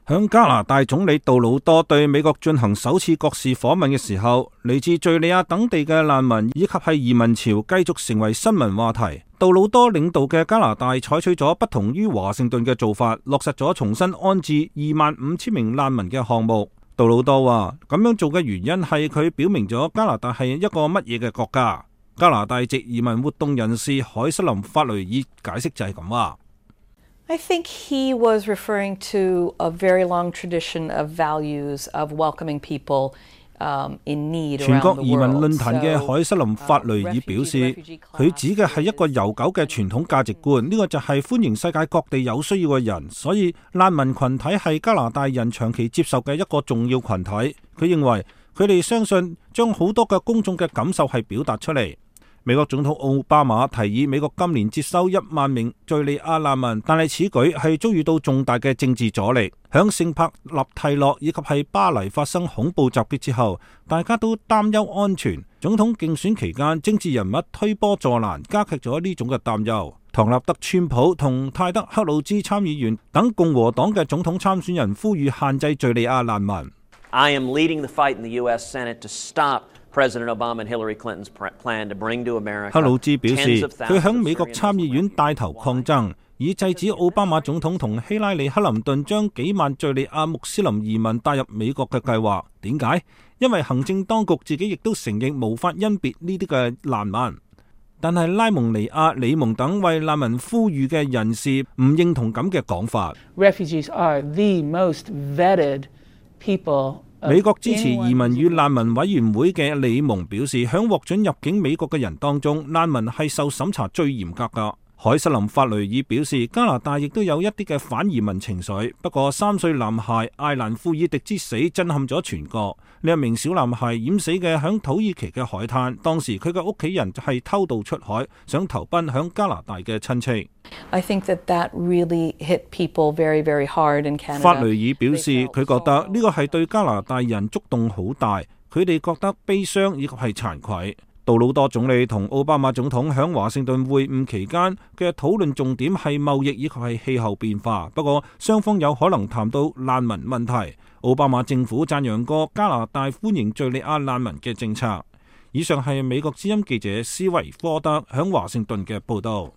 響加拿大總理杜魯多對美國進行首次國事訪問嘅時候，嚟自敘利亞等地嘅難民以及係移民潮繼續成為新聞話題。杜魯多領導嘅加拿大採取咗不同於華盛頓嘅做法，落實咗重新安置25,000名難民嘅項目。杜魯多話咁樣做嘅原因係佢表明咗加拿大係一個乜嘢嘅國家。加拿大籍移民活動人士海瑟琳法雷爾解釋就係咁話。I think he was referring to a very long tradition of values of welcoming people in need around the world. 全國移民論壇嘅海瑟琳法雷爾表示，佢指嘅係一個悠久嘅傳統價值觀，呢個就係歡迎世界各地有需要嘅人，所以難民群體係加拿大人長期接受嘅一個重要群體。佢認為佢哋相信將好多嘅公眾嘅感受係表達出嚟。美國總統奧巴馬提議美國今年接收1萬名敘利亞難民，但係此舉係遭遇到重大嘅政治阻力。響聖帕納蒂諾以及係巴黎發生恐怖襲擊之後，大家都擔憂安全。總統競選期間，政治人物推波助瀾，加劇咗呢種嘅擔憂。唐納德川普同泰德克魯茲參議員等共和黨嘅總統參選人呼籲限制敘利亞難民。I am leading the fight in the U.S. Senate to stop President Obama and Hillary Clinton's plan to bring to America. 克魯茲表示，佢響美國參議院帶頭抗爭，以制止奧巴馬總統同希拉里克林頓將幾萬敘利亞穆斯林移民帶入美國嘅計劃。點解？因為行政當局自己亦都承認無法甄別呢啲嘅難民，但係拉蒙尼亞、里蒙等為難民呼籲嘅人士唔認同咁嘅講法。Refugees are the most vetted people. 美國支持移民與難民委員會嘅李蒙表示，響獲准入境美國嘅人當中，難民係受審查最嚴格㗎。海瑟琳法雷爾表示，加拿大亦都有一啲嘅反移民情緒，不過3歲男孩艾蘭庫爾迪之死震撼咗全國。呢一名小男孩淹死嘅響土耳其嘅海灘，當時佢嘅屋企人就係偷渡出海，想投奔響加拿大嘅親戚。I think that really hit people very, very hard in Canada. 法雷爾表示，佢覺得呢個係對加拿大人觸動好大，佢哋覺得悲傷以及係慚愧。杜魯多總理同奧巴馬總統響華盛頓會晤期間嘅討論重點係貿易以及係氣候變化，不過雙方有可能談到難民問題。奧巴馬政府讚揚過加拿大歡迎敘利亞難民嘅政策。以上係美國之音記者施維科德響華盛頓嘅報道。